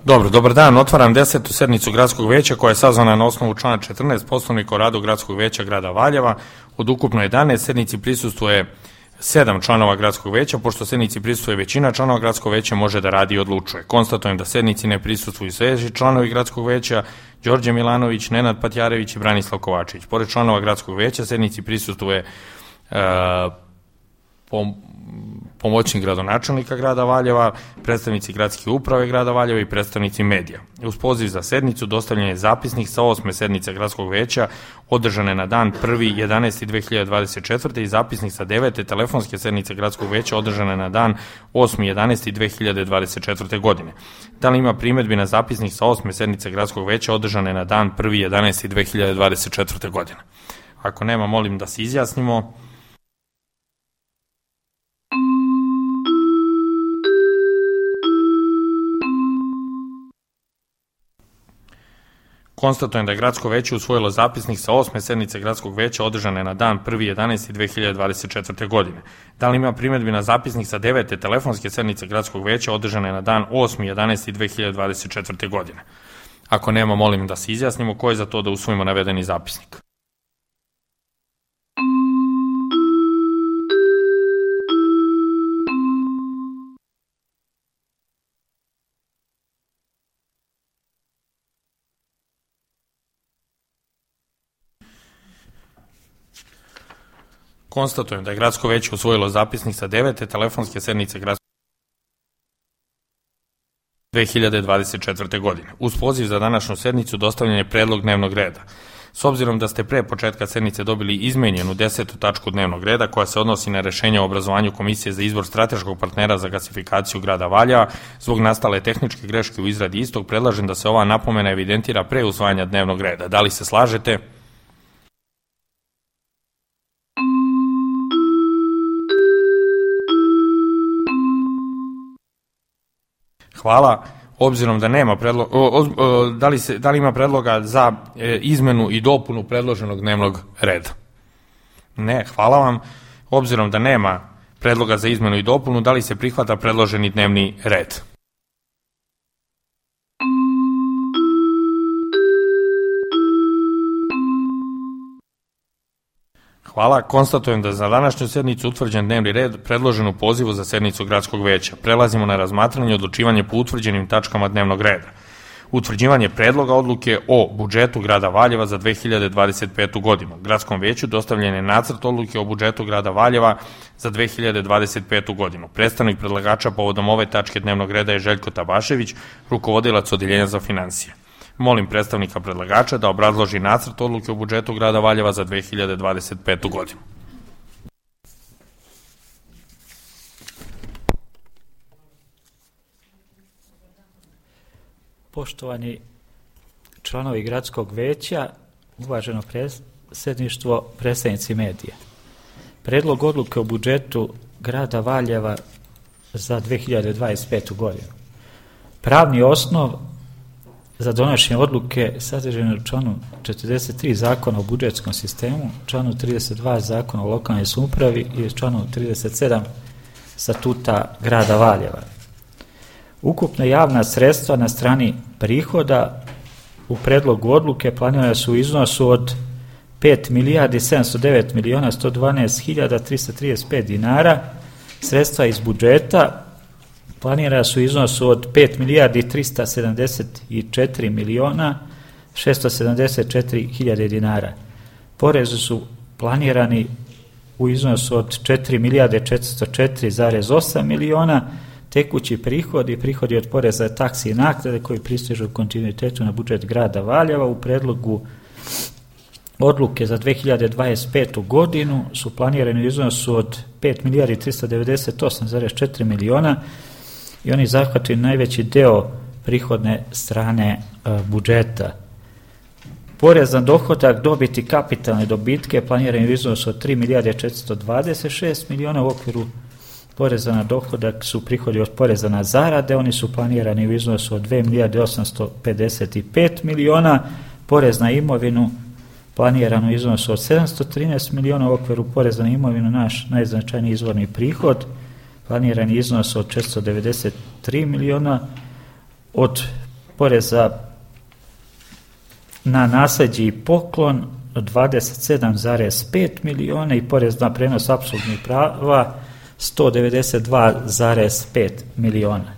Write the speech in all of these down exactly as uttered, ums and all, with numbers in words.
Dobro, dobar dan, otvaram desetu sednicu Gradskog veća koja je sazvana na osnovu člana četrnaest Poslovnika o radu Gradskog veća grada Valjeva. Od ukupno jedanaest sednici prisustvuje sedam članova Gradskog veća, pošto sednici prisustvuje većina članova Gradskog veća može da radi i odlučuje. Konstatujem da sednici ne prisustvuju sledeći članovi Gradskog veća: Đorđe Milanović, Nenad Patjarević i Branislav Kovačević. Pored članova Gradskog veća sednici prisustuje uh, pom pomoćnik gradonačelnika grada Valjeva, predstavnici gradske uprave grada Valjeva i predstavnici medija. Uz poziv za sednicu dostavljen je zapisnik sa osme sednice Gradskog veća održane na dan prvi jedanaesti dve hiljade dvadeset četvrte i zapisnik sa devete telefonske sednice Gradskog veća održane na dan osmi jedanaesti dve hiljade dvadeset četvrte godine. Da li ima primedbi na zapisnik sa osme sednice Gradskog veća održane na dan prvi jedanaesti dve hiljade dvadeset četvrte godine? Ako nema, molim da se izjasnimo. Konstatujem da je Gradsko veće usvojilo zapisnik sa osme sednice Gradskog veća održane na dan prvi jedanaesti dve hiljade dvadeset četvrte godine. Da li ima primedbi na zapisnik sa devete telefonske sednice Gradskog veća održane na dan osmi jedanaesti dve hiljade dvadeset četvrte godine? Ako nema, molim da se izjasnimo. Ko je za to da usvojimo navedeni zapisnik? Konstatujem da je Gradsko veće usvojilo zapisnik sa devete telefonske sednice Gradskog dve hiljade dvadeset četvrte godine. Uz poziv za današnju sednicu dostavljen je predlog dnevnog reda. S obzirom da ste pre početka sednice dobili izmenjenu desetu tačku dnevnog reda koja se odnosi na rešenje o obrazovanju Komisije za izbor strateškog partnera za gasifikaciju grada Valjeva, zbog nastale tehničke greške u izradi istog, predlažem da se ova napomena evidentira pre usvajanja dnevnog reda. Da li se slažete? Hvala. Obzirom da nema predloga, da li, se, da li ima predloga za e, izmenu i dopunu predloženog dnevnog reda? Ne, hvala vam. Obzirom da nema predloga za izmenu i dopunu, da li se prihvata predloženi dnevni red? Hvala. Konstatujem da za današnju sednicu utvrđen dnevni red predložen u pozivu za sednicu Gradskog veća. Prelazimo na razmatranje i odlučivanje po utvrđenim tačkama dnevnog reda. Utvrđivanje predloga odluke o budžetu grada Valjeva za dve hiljade dvadeset petu godinu. Gradskom veću dostavljen je nacrt odluke o budžetu grada Valjeva za dve hiljade dvadeset petu godinu. Predstavnik predlagača povodom ove tačke dnevnog reda je Željko Tabašević, rukovodilac Odeljenja za finansije. Molim predstavnika predlagača da obrazloži nacrt odluke o budžetu grada Valjeva za dve hiljade dvadeset petu godinu. Poštovani članovi Gradskog veća, uvaženo predsjedništvo, predstavnici medija. Predlog odluke o budžetu grada Valjeva za dve hiljade dvadeset petu godinu. Pravni osnov za donošenje odluke sadržane u članu četrdeset tri Zakona o budžetskom sistemu, članu trideset dva Zakona o lokalnoj samoupravi i članu trideset sedam Statuta grada Valjeva. Ukupna javna sredstva na strani prihoda u predlogu odluke planirana su u iznosu od pet milijardi sedamsto devet miliona sto dvanaest hiljada trista trideset pet dinara. Sredstva iz budžeta planirana su u iznosu od pet milijardi trista sedamdeset četiri miliona šesto sedamdeset četiri hiljade dinara. Porezi su planirani u iznosu od četiri milijarde četiristo četiri zarez osam miliona, tekući prihodi, prihodi od poreza, taksi i naknade koji pristižu u kontinuitetu na budžet grada Valjeva u predlogu odluke za dve hiljade dvadeset petu godinu su planirani u iznosu od pet milijardi trista devedeset osam zarez četiri miliona i oni zahvataju najveći deo prihodne strane e, budžeta. Porez na dohodak, dobiti kapitalne dobitke planirani u iznosu od tri milijarde četiristo dvadeset šest miliona. U okviru poreza na dohodak su prihodi od poreza na zarade, oni su planirani u iznosu od dve milijarde osamsto pedeset pet miliona. Porez na imovinu planirano u iznosu od sedamsto trinaest miliona. U okviru poreza na imovinu naš najznačajniji izvorni prihod planirani iznos od četiristo devedeset tri miliona. Od poreza na nasleđe i poklon dvadeset sedam zarez pet miliona i porez na prenos apsolutnih prava sto devedeset dva zarez pet miliona.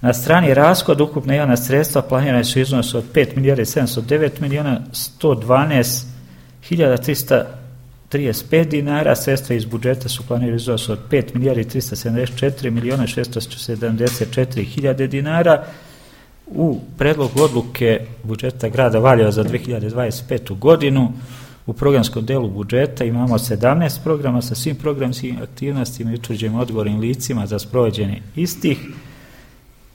Na strani rashoda ukupna javna sredstva planirane su iznos od pet milijardi sedamsto devet miliona sto dvanaest hiljada trista trideset pet dinara, sredstva iz budžeta su planirane iznos od pet milijardi trista sedamdeset četiri miliona šesto sedamdeset četiri hiljade dinara. U predlogu odluke budžeta grada Valjeva za dve hiljade dvadeset petu godinu u programskom delu budžeta imamo sedamnaest programa sa svim programskim aktivnostima i utvrđenim odgovornim licima za sprovođenje istih.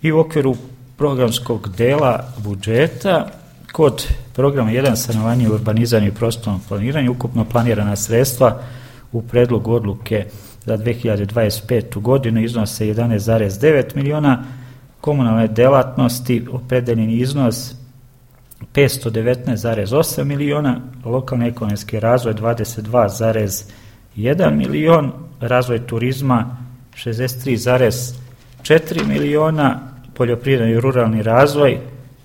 I u okviru programskog dela budžeta kod programa jedan stanovanje, urbanizam i prostorno planiranje ukupno planirana sredstva u predlogu odluke za dve hiljade dvadeset petu godinu iznose jedanaest zarez devet miliona, komunalne delatnosti opredeljeni iznos petsto devetnaest zarez osam miliona, lokalni ekonomski razvoj dvadeset dva zarez jedan milion, razvoj turizma šezdeset tri zarez četiri miliona, poljoprivredni i ruralni razvoj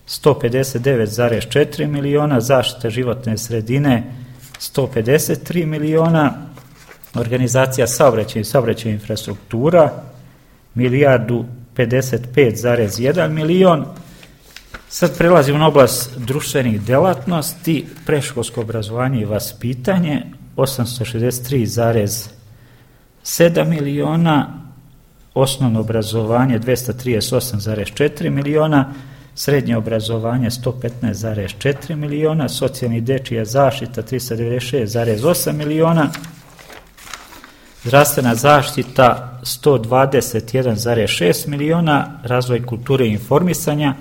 sto pedeset devet zarez četiri miliona, zaštita životne sredine sto pedeset tri miliona, organizacija saobraćaja i saobraćajna infrastruktura milijardu pedeset pet zarez jedan milion. Sad prelazimo na oblast društvenih delatnosti, predškolsko obrazovanje i vaspitanje osamsto šezdeset tri zarez sedam miliona, osnovno obrazovanje dvesta trideset osam zarez četiri miliona, srednje obrazovanje sto petnaest zarez četiri miliona, socijalni dečija zaštita trista devedeset šest zarez osam miliona, zdravstvena zaštita sto dvadeset jedan zarez šest miliona, razvoj kulture i informisanja,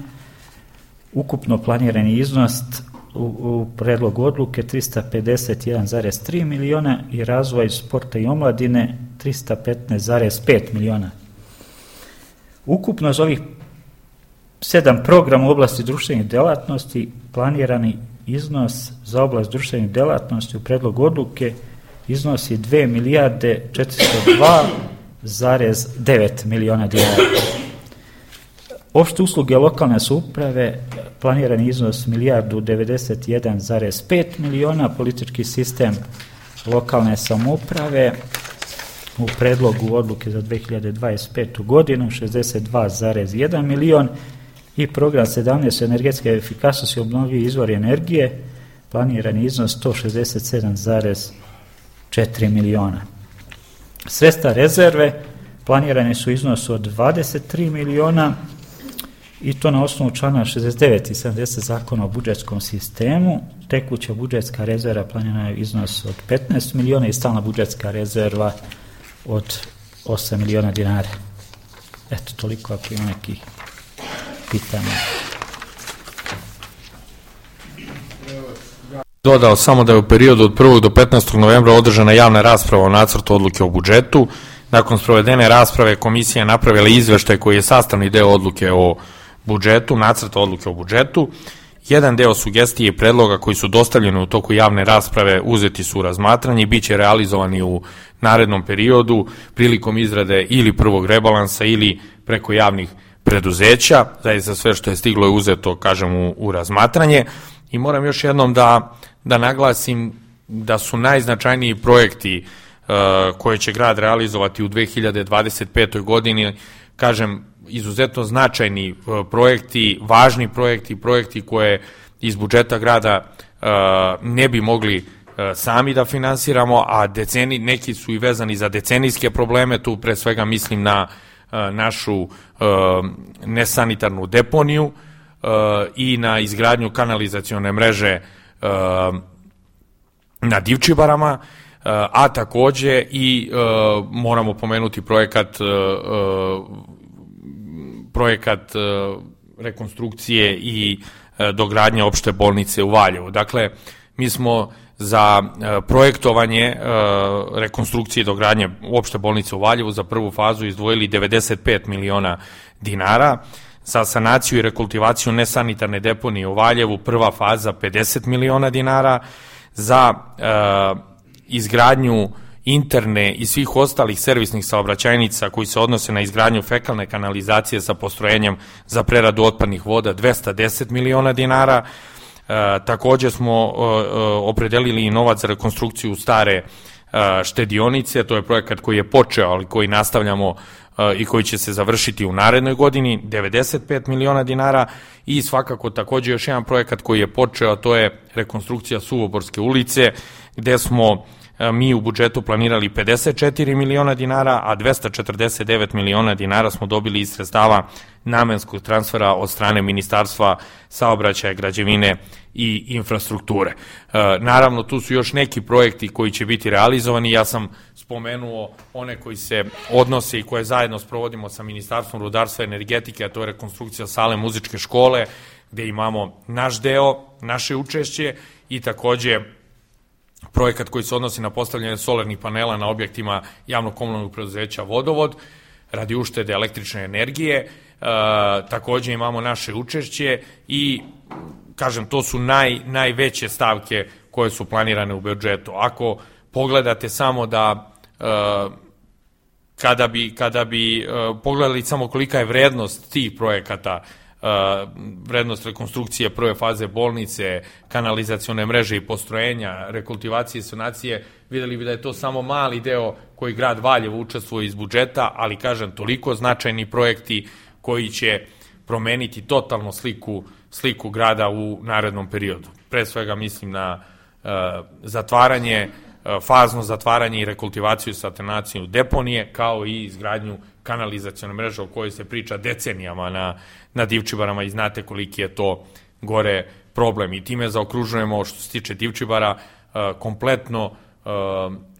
ukupno planirani iznos u, u predlogu odluke trista pedeset jedan zarez tri miliona i razvoj sporta i omladine trista petnaest zarez pet miliona. Ukupno za ovih sedam programa u oblasti društvenih delatnosti planirani iznos za oblast društvenih delatnosti u predlogu odluke iznosi dve milijarde četiristo dva zarez devet miliona dinara. Opšte usluge lokalne samouprave planirani iznos milijardu devedeset jedan zarez pet miliona, politički sistem lokalne samouprave u predlogu odluke za dve hiljade dvadeset petu godinu šezdeset dva zarez jedan milion i program sedamnaest energetske efikasnosti i obnovljivi izvori energije planirani iznos sto šezdeset sedam zarez četiri miliona. Sredstva rezerve planirane su iznos od dvadeset tri miliona i to na osnovu člana šezdeset devet i sedamdeset zakona o budžetskom sistemu. Tekuća budžetska rezerva planirana je iznos od petnaest miliona i stalna budžetska rezerva od osam miliona dinara. Eto, toliko ako ima nekih pitanja. Dodao samo da je u periodu od prvog do petnaestog novembra održana javna rasprava o nacrtu odluke o budžetu. Nakon sprovedene rasprave komisija je napravila izveštaj koji je sastavni deo odluke o budžetu, nacrta odluke o budžetu. Jedan deo sugestije i predloga koji su dostavljeni u toku javne rasprave uzeti su u razmatranje i bit će realizovani u narednom periodu prilikom izrade ili prvog rebalansa ili preko javnih preduzeća. Zaista sve što je stiglo je uzeto, kažem, u, u razmatranje. I moram još jednom da, da naglasim da su najznačajniji projekti uh, koje će grad realizovati u dve hiljade dvadeset petoj godini, kažem, izuzetno značajni uh, projekti, važni projekti, projekti koje iz budžeta grada uh, ne bi mogli uh, sami da finansiramo, a deceni, neki su i vezani za decenijske probleme, tu pre svega mislim na uh, našu uh, nesanitarnu deponiju, i na izgradnju kanalizacione mreže na Divčibarama, a takođe i moramo pomenuti projekat projekat rekonstrukcije i dogradnje opšte bolnice u Valjevu. Dakle, mi smo za projektovanje rekonstrukcije i dogradnje opšte bolnice u Valjevu za prvu fazu izdvojili devedeset pet miliona dinara, za sanaciju i rekultivaciju nesanitarne deponije u Valjevu prva faza pedeset miliona dinara, za e, izgradnju interne i svih ostalih servisnih saobraćajnica koji se odnose na izgradnju fekalne kanalizacije sa postrojenjem za preradu otpadnih voda dvesta deset miliona dinara. E, takođe smo e, opredelili i novac za rekonstrukciju stare e, štedionice, to je projekat koji je počeo, ali koji nastavljamo e, i koji će se završiti u narednoj godini, devedeset pet miliona dinara, i svakako takođe još jedan projekat koji je počeo, a to je rekonstrukcija Suvoborske ulice, gde smo mi u budžetu planirali pedeset četiri miliona dinara, a dvesta četrdeset devet miliona dinara smo dobili iz sredstava namenskog transfera od strane Ministarstva saobraćaja, građevine i infrastrukture. E, naravno, tu su još neki projekti koji će biti realizovani. Ja sam spomenuo one koji se odnose i koje zajedno sprovodimo sa Ministarstvom rudarstva i energetike, a to je rekonstrukcija sale muzičke škole, gde imamo naš deo, naše učešće, i takođe projekat koji se odnosi na postavljanje solarnih panela na objektima javnog komunalnog preduzeća Vodovod radi uštede električne energije. E, takođe imamo naše učešće i, kažem, to su naj, najveće stavke koje su planirane u budžetu. Ako pogledate samo da e, kada bi, kada bi e, pogledali samo kolika je vrednost tih projekata, vrednost rekonstrukcije prve faze bolnice, kanalizacione mreže i postrojenja, rekultivacije i sanacije, videli bi da je to samo mali deo koji grad Valjevo učestvuje iz budžeta, ali, kažem, toliko značajni projekti koji će promeniti totalno sliku, sliku grada u narednom periodu. Pre svega mislim na uh, zatvaranje, uh, fazno zatvaranje i rekultivaciju i sanaciju deponije, kao i izgradnju kanalizacione mreže o kojoj se priča decenijama na, na Divčibarama, i znate koliki je to gore problem. I time zaokružujemo, što se tiče Divčibara, uh, kompletno uh,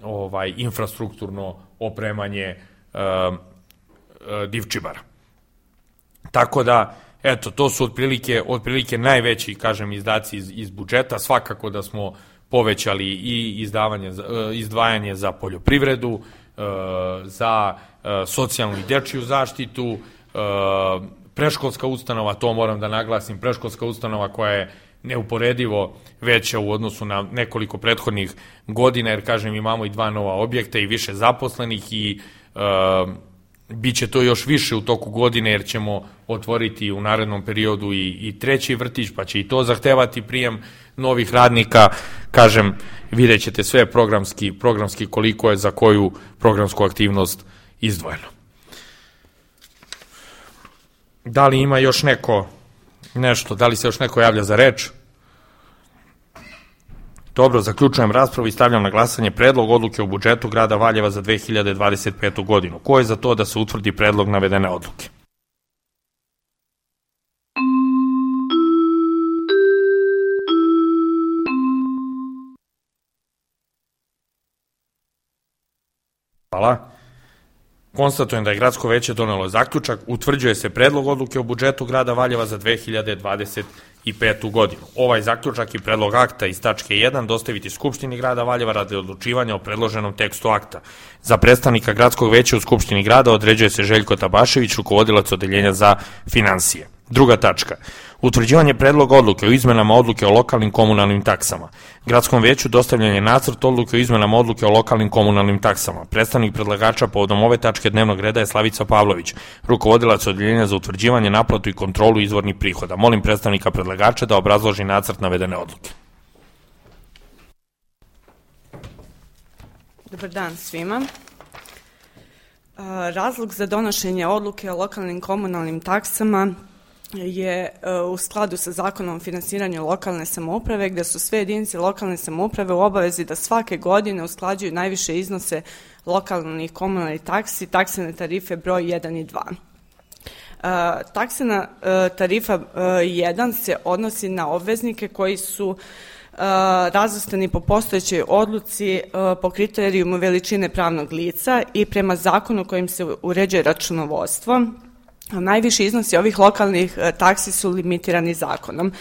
ovaj, infrastrukturno opremanje uh, uh, Divčibara. Tako da, eto, to su otprilike, otprilike najveći, kažem, izdaci iz, iz budžeta. Svakako da smo povećali i izdavanje, uh, izdvajanje za poljoprivredu, uh, za socijalnu i dečiju zaštitu, preškolska ustanova, to moram da naglasim, preškolska ustanova koja je neuporedivo veća u odnosu na nekoliko prethodnih godina, jer, kažem, imamo i dva nova objekta i više zaposlenih, i e, bit će to još više u toku godine, jer ćemo otvoriti u narednom periodu i, i treći vrtić, pa će i to zahtevati prijem novih radnika. Kažem, vidjet ćete sve programski, programski koliko je za koju programsku aktivnost izdvojeno. Da li ima još neko nešto, da li se još neko javlja za reč? Dobro, zaključujem raspravu i stavljam na glasanje predlog odluke o budžetu grada Valjeva za dve hiljade dvadeset petu godinu. Ko je za to da se utvrdi predlog navedene odluke? Hvala. Konstatujem da je gradsko veće donelo zaključak, utvrđuje se predlog odluke o budžetu grada Valjeva za dve hiljade dvadeset petu godinu. Ovaj zaključak i predlog akta iz tačke jedan dostaviti Skupštini grada Valjeva radi odlučivanja o predloženom tekstu akta. Za predstavnika gradskog veća u Skupštini grada određuje se Željko Tabašević, rukovodilac odeljenja za finansije. Druga tačka. Utvrđivanje predloga odluke o izmenama odluke o lokalnim komunalnim taksama. Gradskom veću dostavljen je nacrt odluke o izmenama odluke o lokalnim komunalnim taksama. Predstavnik predlagača povodom ove tačke dnevnog reda je Slavica Pavlović, rukovodilac odeljenja za utvrđivanje, naplatu i kontrolu izvornih prihoda. Molim predstavnika predlagača da obrazloži nacrt navedene odluke. Dobar dan svima. Razlog za donošenje odluke o lokalnim komunalnim taksama je u skladu sa Zakonom o finansiranju lokalne samouprave, gde su sve jedinice lokalne samouprave u obavezi da svake godine usklađuju najviše iznose lokalnih komunalnih taksi, taksene tarife broj jedan i dva. Taksena tarifa jedan se odnosi na obveznike koji su razvrstani po postojećoj odluci po kriterijumu veličine pravnog lica i prema zakonu kojim se uređuje računovodstvo. Najviši iznosi ovih lokalnih taksi su limitirani zakonom.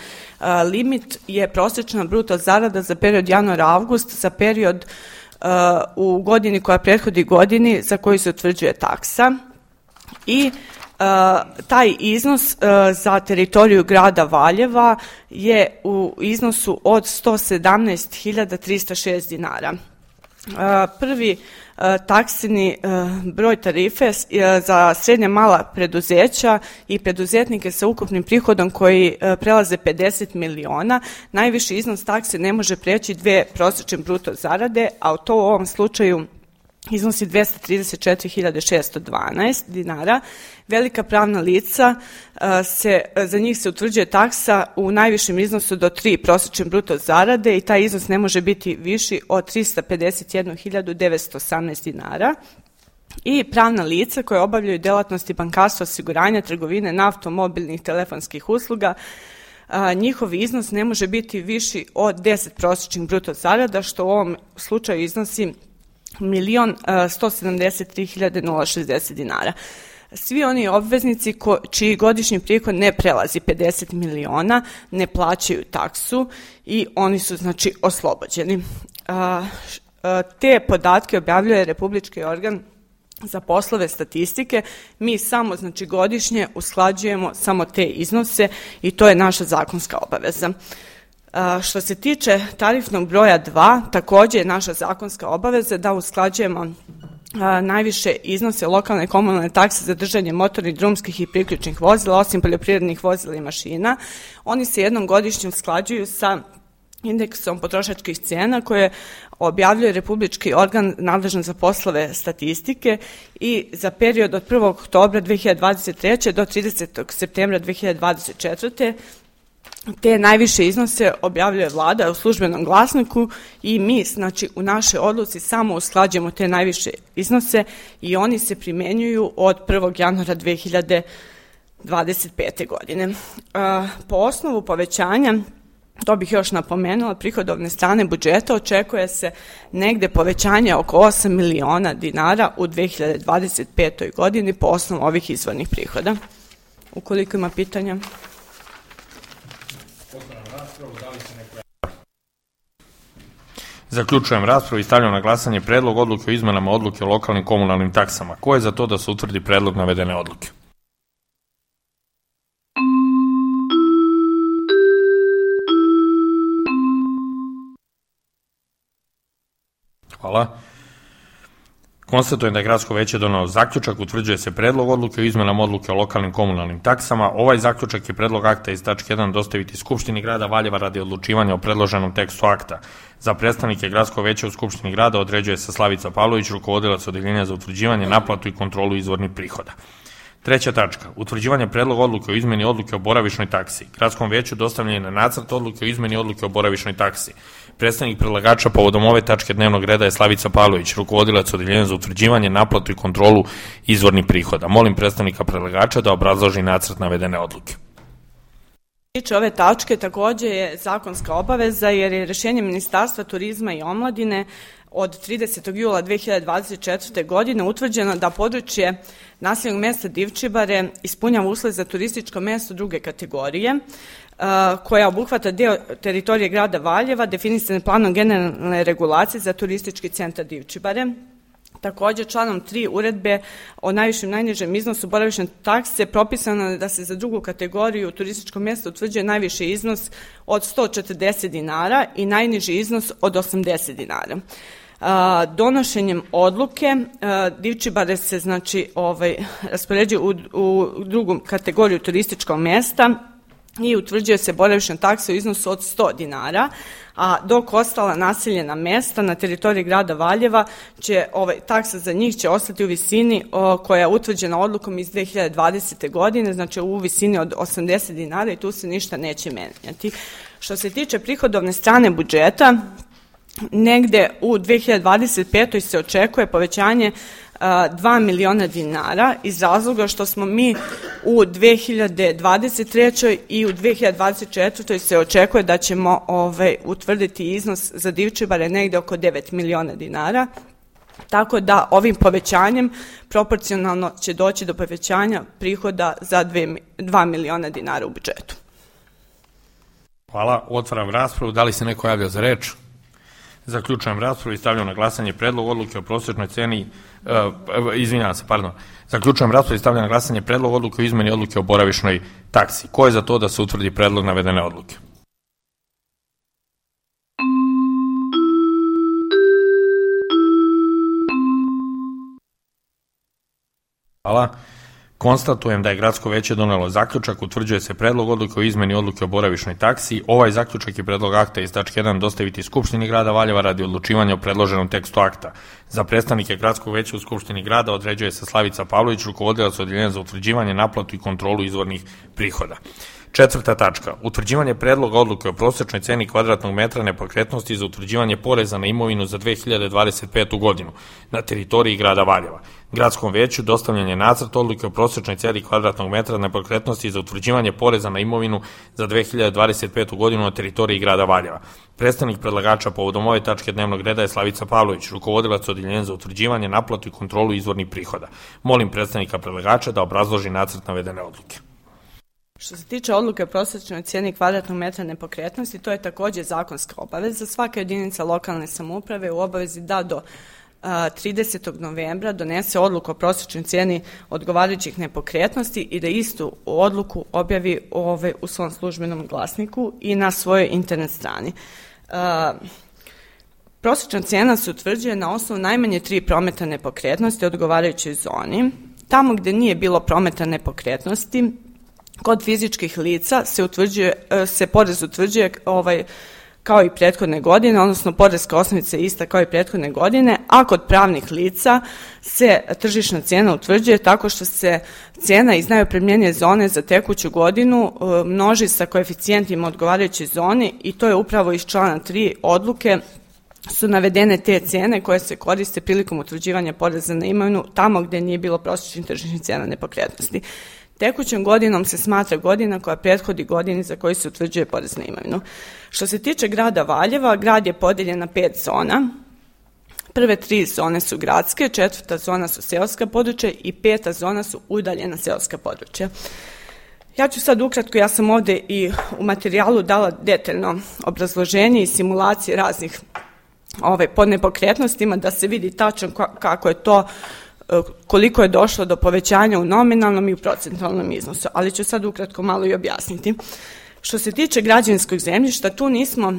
Limit je prosječna bruto zarada za period januar-avgust, za period u godini koja prethodi godini za koju se utvrđuje taksa, i taj iznos za teritoriju grada Valjeva je u iznosu od sto sedamnaest hiljada trista šest dinara. Prvi taksini broj tarife za srednja mala preduzeća i preduzetnike sa ukupnim prihodom koji prelaze pedeset miliona. Najviši iznos takse ne može preći dve prosječne bruto zarade, a to u ovom slučaju iznosi dvesta trideset četiri hiljade šesto dvanaest dinara. Velika pravna lica, se, za njih se utvrđuje taksa u najvišem iznosu do tri prosječne bruto zarade i taj iznos ne može biti viši od trista pedeset jednu hiljadu devetsto osamnaest dinara. I pravna lica koje obavljaju delatnosti bankarstva, osiguranja, trgovine, naftom, mobilnih telefonskih usluga, a, njihov iznos ne može biti viši od deset prosječnih bruto zarada, što u ovom slučaju iznosi milion sto sedamdeset tri hiljade šezdeset dinara. Svi oni obveznici ko, čiji godišnji prihod ne prelazi pedeset miliona ne plaćaju taksu i oni su znači oslobođeni. A, a, te podatke objavljuje Republički organ za poslove statistike. Mi samo znači godišnje usklađujemo samo te iznose i to je naša zakonska obaveza. A, što se tiče tarifnog broja dva, također je naša zakonska obaveza da usklađujemo a, najviše iznose lokalne komunalne takse za držanje motornih, drumskih i priključnih vozila, osim poljoprivrednih vozila i mašina. Oni se jednom godišnje usklađuju sa indeksom potrošačkih cena koje objavljuje Republički organ nadležan za poslove statistike i za period od prvog oktobra dve hiljade dvadeset treće do tridesetog septembra dve hiljade dvadeset četvrte te najviše iznose objavljuje vlada u službenom glasniku i mi znači u našoj odluci samo usklađujemo te najviše iznose i oni se primenjuju od prvog januara dve hiljade dvadeset pete godine. Po osnovu povećanja, to bih još napomenula, prihodovne strane budžeta očekuje se negde povećanje oko osam miliona dinara u dve hiljade dvadeset petoj godini po osnovu ovih izvornih prihoda. Ukoliko ima pitanja. Zaključujem raspravu i stavljam na glasanje predlog odluke o izmenama odluke o lokalnim komunalnim taksama. Ko je za to da se utvrdi predlog navedene odluke? Hvala. Konstatujem da je Gradsko veće donelo zaključak, utvrđuje se predlog odluke o izmenama odluke o lokalnim komunalnim taksama. Ovaj zaključak je predlog akta iz tačke jedan dostaviti Skupštini grada Valjeva radi odlučivanja o predloženom tekstu akta. Za predstavnike Gradskog veća u Skupštini grada određuje se Slavica Pavlović, rukovodilac odeljenja za utvrđivanje, naplatu i kontrolu izvornih prihoda. Treća tačka. Utvrđivanje predloga odluke o izmeni odluke o boravišnoj taksi. Gradskom veću dostavljen je na nacrt odluke o izmeni odluke o boravišnoj taksi. Predstavnik predlagača povodom ove tačke dnevnog reda je Slavica Pavlović, rukovodilac odeljenja za utvrđivanje, naplatu i kontrolu izvornih prihoda. Molim predstavnika predlagača da obrazloži nacrt navedene odluke. Tiče ove tačke također je zakonska obaveza jer je rješenje Ministarstva turizma i omladine od tridesetog jula dve hiljade dvadeset četvrte. godine utvrđeno da područje naseljenog mesta Divčibare ispunjava uslove za turističko mesto druge kategorije koja obuhvata deo teritorije grada Valjeva definisane planom generalne regulacije za turistički centar Divčibare. Također članom tri uredbe o najvišem i najnižem iznosu boravišne takse propisano je da se za drugu kategoriju turističkog mjesta utvrđuje najviši iznos od sto četrdeset dinara i najniži iznos od osamdeset dinara. A, donošenjem odluke a, Divčibare se znači ovaj raspoređuje u, u drugu kategoriju turističkog mjesta i utvrđuje se boravišna taksa u iznosu od sto dinara, a dok ostala naseljena mesta na teritoriji grada Valjeva će ovaj taksa za njih će ostati u visini o, koja je utvrđena odlukom iz dve hiljade dvadesete. godine, znači u visini od osamdeset dinara i tu se ništa neće menjati. Što se tiče prihodovne strane budžeta, negde u dve hiljade dvadeset petoj. se očekuje povećanje dva miliona dinara iz razloga što smo mi u dve hiljade dvadeset trećoj. i u dve hiljade dvadeset četvrtoj. se očekuje da ćemo ovaj, utvrditi iznos za Divčibare negde oko devet miliona dinara. Tako da ovim povećanjem proporcionalno će doći do povećanja prihoda za dva miliona dinara u budžetu. Hvala, otvaram raspravu. Da li se neko javlja za reč? Zaključujem raspravu i stavljam na glasanje predlog odluke o prosječnoj ceni, uh, izvinjavam se, pardon, zaključujem raspravu i stavljam na glasanje predlog odluke o izmeni odluke o boravišnoj taksi. Ko je za to da se utvrdi predlog navedene odluke? Hvala. Konstatujem da je Gradsko veće donelo zaključak, utvrđuje se predlog odluke o izmeni odluke o boravišnoj taksi. Ovaj zaključak i predlog akta iz tačke jedan dostaviti Skupštini grada Valjeva radi odlučivanja o predloženom tekstu akta. Za predstavnike Gradskog veća u Skupštini grada određuje se Slavica Pavlović, rukovodilac Odeljenja za utvrđivanje, naplatu i kontrolu izvornih prihoda. Četvrta tačka. Utvrđivanje predloga odluke o prosečnoj ceni kvadratnog metra nepokretnosti za utvrđivanje poreza na imovinu za dve hiljade dvadeset petu godinu na teritoriji grada Valjeva. Gradskom veću dostavljen je nacrt odluke o prosečnoj ceni kvadratnog metra nepokretnosti za utvrđivanje poreza na imovinu za dve hiljade dvadeset petu godinu na teritoriji grada Valjeva. Predstavnik predlagača povodom ove tačke dnevnog reda je Slavica Pavlović, rukovodilac Odeljenja za utvrđivanje, naplatu i kontrolu izvornih prihoda. Molim predstavnika predlagača da obrazloži nacrt navedene odluke. Što se tiče odluke o prosječnoj cijeni kvadratnog metra nepokretnosti, to je također zakonska obaveza. Svaka jedinica lokalne samouprave u obavezi da do a, tridesetog novembra donese odluku o prosječnoj cijeni odgovarajućih nepokretnosti i da istu odluku objavi ove, u svom službenom glasniku i na svojoj internet strani. A, prosječna cijena se utvrđuje na osnovu najmanje tri prometa nepokretnosti u odgovarajućoj zoni. Tamo gdje nije bilo prometa nepokretnosti, kod fizičkih lica se utvrđuje, se porez utvrđuje ovaj, kao i prethodne godine, odnosno poreska osnovica je ista kao i prethodne godine, a kod pravnih lica se tržišna cijena utvrđuje tako što se cijena iz najopremljenije zone za tekuću godinu množi sa koeficijentima odgovarajuće zone i to je upravo iz člana tri odluke su navedene te cijene koje se koriste prilikom utvrđivanja poreza na imovinu tamo gdje nije bilo prosječnih tržišnih cijena nepokretnosti. Tekućom godinom se smatra godina koja prethodi godini za koju se utvrđuje porez na imovinu. Što se tiče grada Valjeva, grad je podijeljen na pet zona. Prve tri zone su gradske, četvrta zona su seoska područja i peta zona su udaljena seoska područja. Ja ću sad ukratko, ja sam ovdje i u materijalu dala detaljno obrazloženje i simulacije raznih ove, pod nepokretnostima da se vidi tačno kako je to, koliko je došlo do povećanja u nominalnom i u procentualnom iznosu, ali ću sad ukratko malo i objasniti. Što se tiče građevinskog zemljišta, tu nismo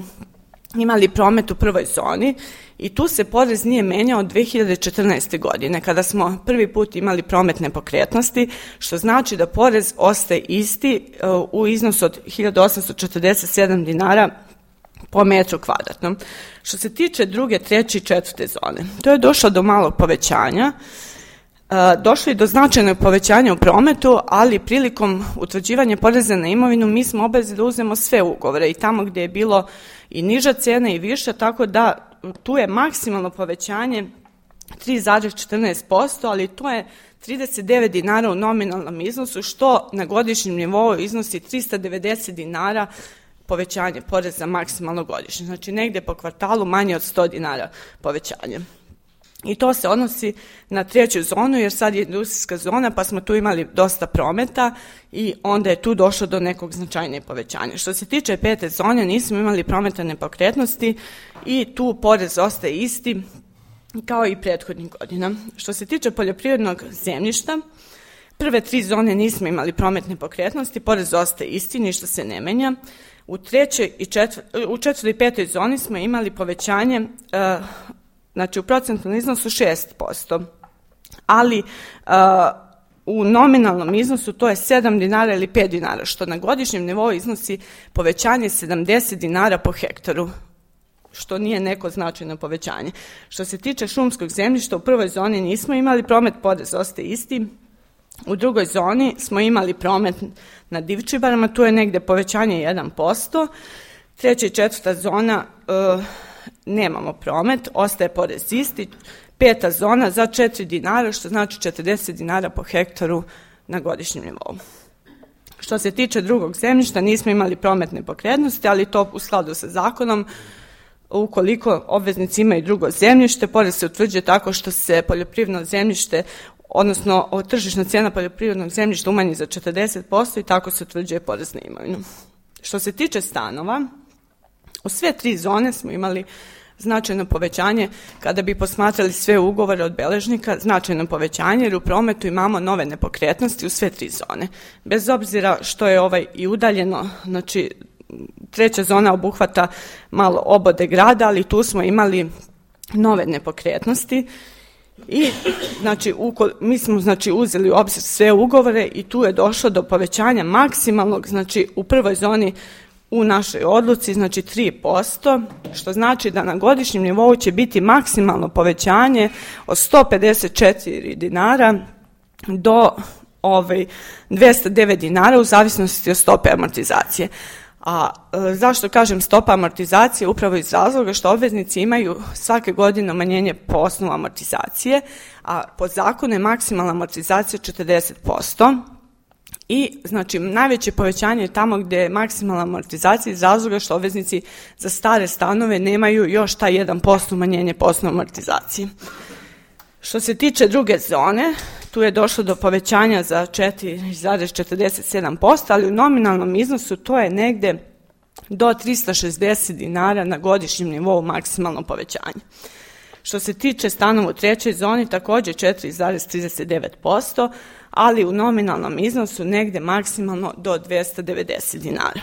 imali promet u prvoj zoni i tu se porez nije menjao od dve hiljade četrnaeste. godine, kada smo prvi put imali promet nepokretnosti, što znači da porez ostaje isti u iznosu od hiljadu osamsto četrdeset sedam dinara po metru kvadratnom. Što se tiče druge, treće i četvrte zone, to je došlo do malog povećanja. Došlo je do značajnog povećanja u prometu, ali prilikom utvrđivanja poreza na imovinu mi smo obavezni da uzmemo sve ugovore i tamo gdje je bilo i niža cena i viša, tako da tu je maksimalno povećanje tri zarez četrnaest posto, ali to je trideset devet dinara u nominalnom iznosu, što na godišnjem nivou iznosi trista devedeset dinara povećanje poreza maksimalno godišnje. Znači negdje po kvartalu manje od sto dinara povećanje. I to se odnosi na treću zonu, jer sad je industrijska zona, pa smo tu imali dosta prometa i onda je tu došlo do nekog značajnijeg povećanja. Što se tiče pete zone, nismo imali prometa nepokretnosti i tu porez ostaje isti kao i prethodnih godina. Što se tiče poljoprivrednog zemljišta, prve tri zone nismo imali promet nepokretnosti, porez ostaje isti, ništa se ne menja. U trećoj i četvrtoj, u četvrtoj i petoj zoni smo imali povećanje, uh, znači u procentualnom iznosu šest posto, ali uh, u nominalnom iznosu to je sedam dinara ili pet dinara, što na godišnjem nivou iznosi povećanje sedamdeset dinara po hektaru, što nije neko značajno povećanje. Što se tiče šumskog zemljišta, u prvoj zoni nismo imali promet, porez ostaje isti. U drugoj zoni smo imali promet na divčibarama, tu je negdje povećanje jedan posto. Treća i četvrta zona uh, nemamo promet, ostaje porez isti. Peta zona za četiri dinara, što znači četrdeset dinara po hektaru na godišnjem nivou. Što se tiče drugog zemljišta, nismo imali promet nepokretnosti, ali to u skladu sa zakonom. Ukoliko obveznici imaju drugo zemljište, porez se utvrđuje tako što se poljoprivredno zemljište, odnosno tržišna cijena poljoprivrednog zemljišta umanji za četrdeset posto i tako se utvrđuje porez na imovinu. Što se tiče stanova, u sve tri zone smo imali značajno povećanje, kada bi posmatrali sve ugovore od beležnika, značajno povećanje, jer u prometu imamo nove nepokretnosti u sve tri zone. Bez obzira što je ovaj i udaljeno, znači treća zona obuhvata malo obode grada, ali tu smo imali nove nepokretnosti I znači uko, mi smo znači uzeli u obzir sve ugovore i tu je došlo do povećanja maksimalnog, znači u prvoj zoni u našoj odluci, znači tri posto, što znači da na godišnjem nivou će biti maksimalno povećanje od sto pedeset četiri dinara do ovaj, dvesta devet dinara u zavisnosti od stope amortizacije. A e, zašto kažem stopa amortizacije? Upravo iz razloga što obveznici imaju svake godine umanjenje po osnovu amortizacije, a po zakonu je maksimalna amortizacija četrdeset posto. I znači najveće povećanje je tamo gdje je maksimalna amortizacija iz razloga što obveznici za stare stanove nemaju još taj jedan posto umanjenje po osnovu amortizacije. Što se tiče druge zone, tu je došlo do povećanja za četiri zarez četrdeset sedam posto, ali u nominalnom iznosu to je negde do trista šezdeset dinara na godišnjem nivou maksimalno povećanje. Što se tiče stanova u trećoj zoni, također četiri zarez trideset devet posto, ali u nominalnom iznosu negde maksimalno do dvesta devedeset dinara.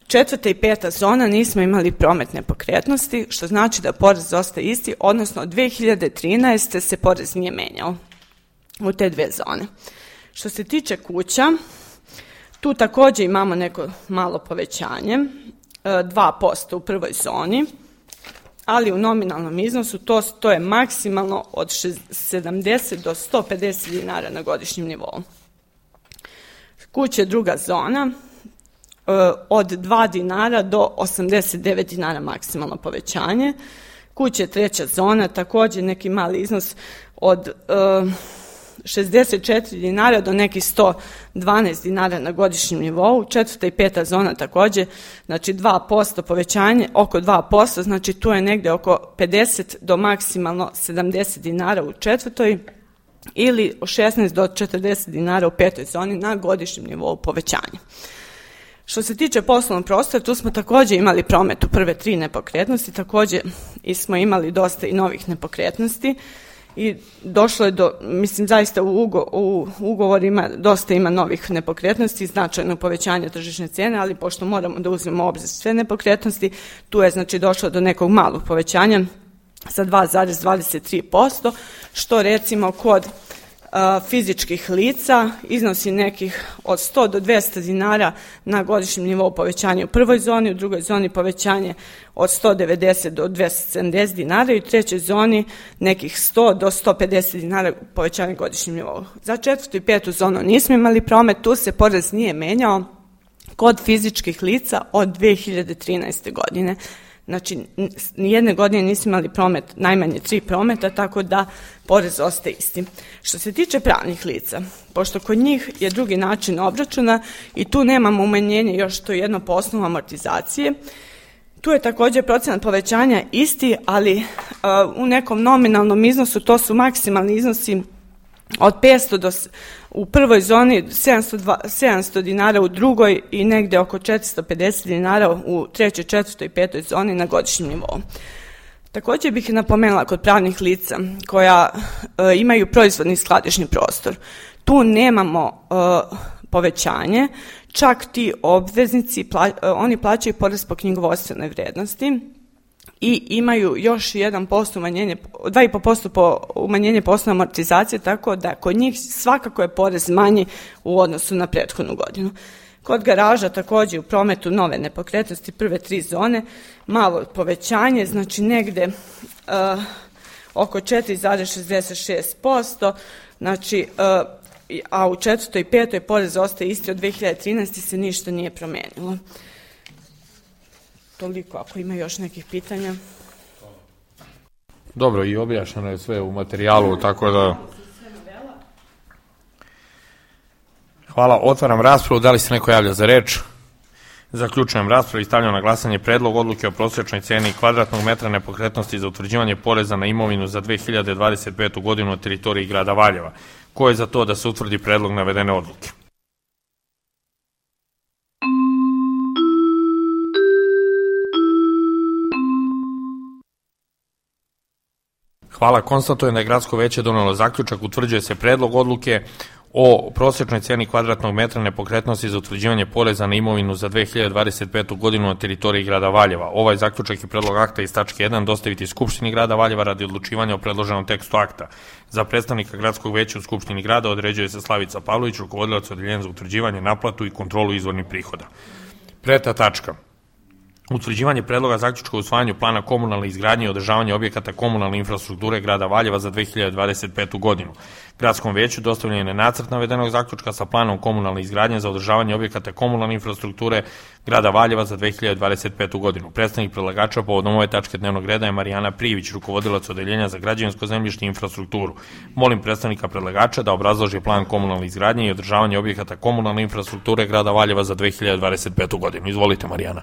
Četvrta i peta zona nismo imali promet nepokretnosti, što znači da porez ostaje isti, odnosno od dve hiljade trinaeste. se porez nije menjao u te dve zone. Što se tiče kuća, tu također imamo neko malo povećanje, dva posto u prvoj zoni, ali u nominalnom iznosu to, to je maksimalno od sedamdeset do sto pedeset dinara na godišnjem nivou. Kuće druga zona, od dva dinara do osamdeset devet dinara maksimalno povećanje. Kuće treća zona, također neki mali iznos od uh, šezdeset četiri dinara do nekih sto dvanaest dinara na godišnjem nivou. Četvrta i peta zona također, znači dva posto povećanje, oko dva posto, znači tu je negdje oko pedeset do maksimalno sedamdeset dinara u četvrtoj ili šesnaest do četrdeset dinara u petoj zoni na godišnjem nivou povećanja. Što se tiče poslovnog prostora, tu smo također imali promet u prve tri nepokretnosti, također i smo imali dosta i novih nepokretnosti i došlo je do, mislim zaista u, ugo, u ugovorima dosta ima novih nepokretnosti, značajno povećanje tržišne cijene, ali pošto moramo da uzmemo u obzir sve nepokretnosti, tu je znači došlo do nekog malog povećanja sa dva zarez dvadeset tri posto, što recimo kod fizičkih lica iznosi nekih od sto do dvesta dinara na godišnjem nivou povećanje u prvoj zoni, u drugoj zoni povećanje od sto devedeset do dvesta sedamdeset dinara i u trećoj zoni nekih sto do sto pedeset dinara povećanje godišnjem nivou. Za četvrtu i petu zonu nismo imali promet, tu se porez nije menjao kod fizičkih lica od dve hiljade trinaeste. godine. Znači, nijedne godine nismo imali promet, najmanje tri prometa, tako da porez ostaje isti. Što se tiče pravnih lica, pošto kod njih je drugi način obračuna i tu nemamo umanjenje još to jedno po osnovu amortizacije, tu je također procenat povećanja isti, ali uh, u nekom nominalnom iznosu to su maksimalni iznosi od petsto do u prvoj zoni sedamsto, sedamsto dinara u drugoj i negde oko četiristo pedeset dinara u trećoj, četvrtoj i petoj zoni na godišnjem nivou. Također bih napomenula kod pravnih lica koja e, imaju proizvodni skladišni prostor. Tu nemamo e, povećanje, čak ti obveznici, pla, e, oni plaćaju porez po knjigovodstvenoj vrednosti i imaju još jedan posto umanjenje, dva i po posto po umanjenje po osnovu amortizacije, tako da kod njih svakako je porez manji u odnosu na prethodnu godinu. Kod garaža također u prometu nove nepokretnosti prve tri zone malo povećanje, znači negde uh, oko četiri zarez šezdeset šest posto, znači uh, a u četvrtoj i petoj porez ostaje isti od dve hiljade trinaeste. se ništa nije promenilo. Toliko, ako ima još nekih pitanja. Dobro, i objašnjeno je sve u materijalu, tako da... Hvala, otvaram raspravu. Da li se neko javlja za reč? Zaključujem raspravu i stavljam na glasanje predlog odluke o prosječnoj ceni kvadratnog metra nepokretnosti za utvrđivanje poreza na imovinu za dve hiljade dvadeset petu. godinu na teritoriji grada Valjeva. Ko je za to da se utvrdi predlog navedene odluke? Hvala, konstatujem da je Gradsko veće donelo zaključak, utvrđuje se predlog odluke o prosječnoj cijeni kvadratnog metra nepokretnosti za utvrđivanje poreza na imovinu za dve hiljade dvadeset petu godinu na teritoriji grada Valjeva. Ovaj zaključak i predlog akta iz tačke jedan dostaviti Skupštini grada Valjeva radi odlučivanja o predloženom tekstu akta. Za predstavnika gradskog veća u Skupštini grada određuje se Slavica Pavlović, rukovodilac odeljenja za utvrđivanje, naplatu i kontrolu izvornih prihoda. Preta tačka. Utvrđivanje predloga zaključka o usvajanju plana komunalne izgradnje i održavanja objekata komunalne infrastrukture grada Valjeva za dve hiljade dvadeset petu godinu. Gradskom veću dostavljen je nacrt navedenog zaključka sa planom komunalne izgradnje za održavanje objekata komunalne infrastrukture grada Valjeva za dve hiljade dvadeset petu godinu. Predstavnik predlagača povodom ove tačke dnevnog reda je Marijana Privić, rukovodilac odeljenja za građevinsko zemljište i infrastrukturu. Molim predstavnika predlagača da obrazloži plan komunalne izgradnje i održavanje objekata komunalne infrastrukture grada Valjeva za dve hiljade dvadeset petu godinu. Izvolite, Marijana.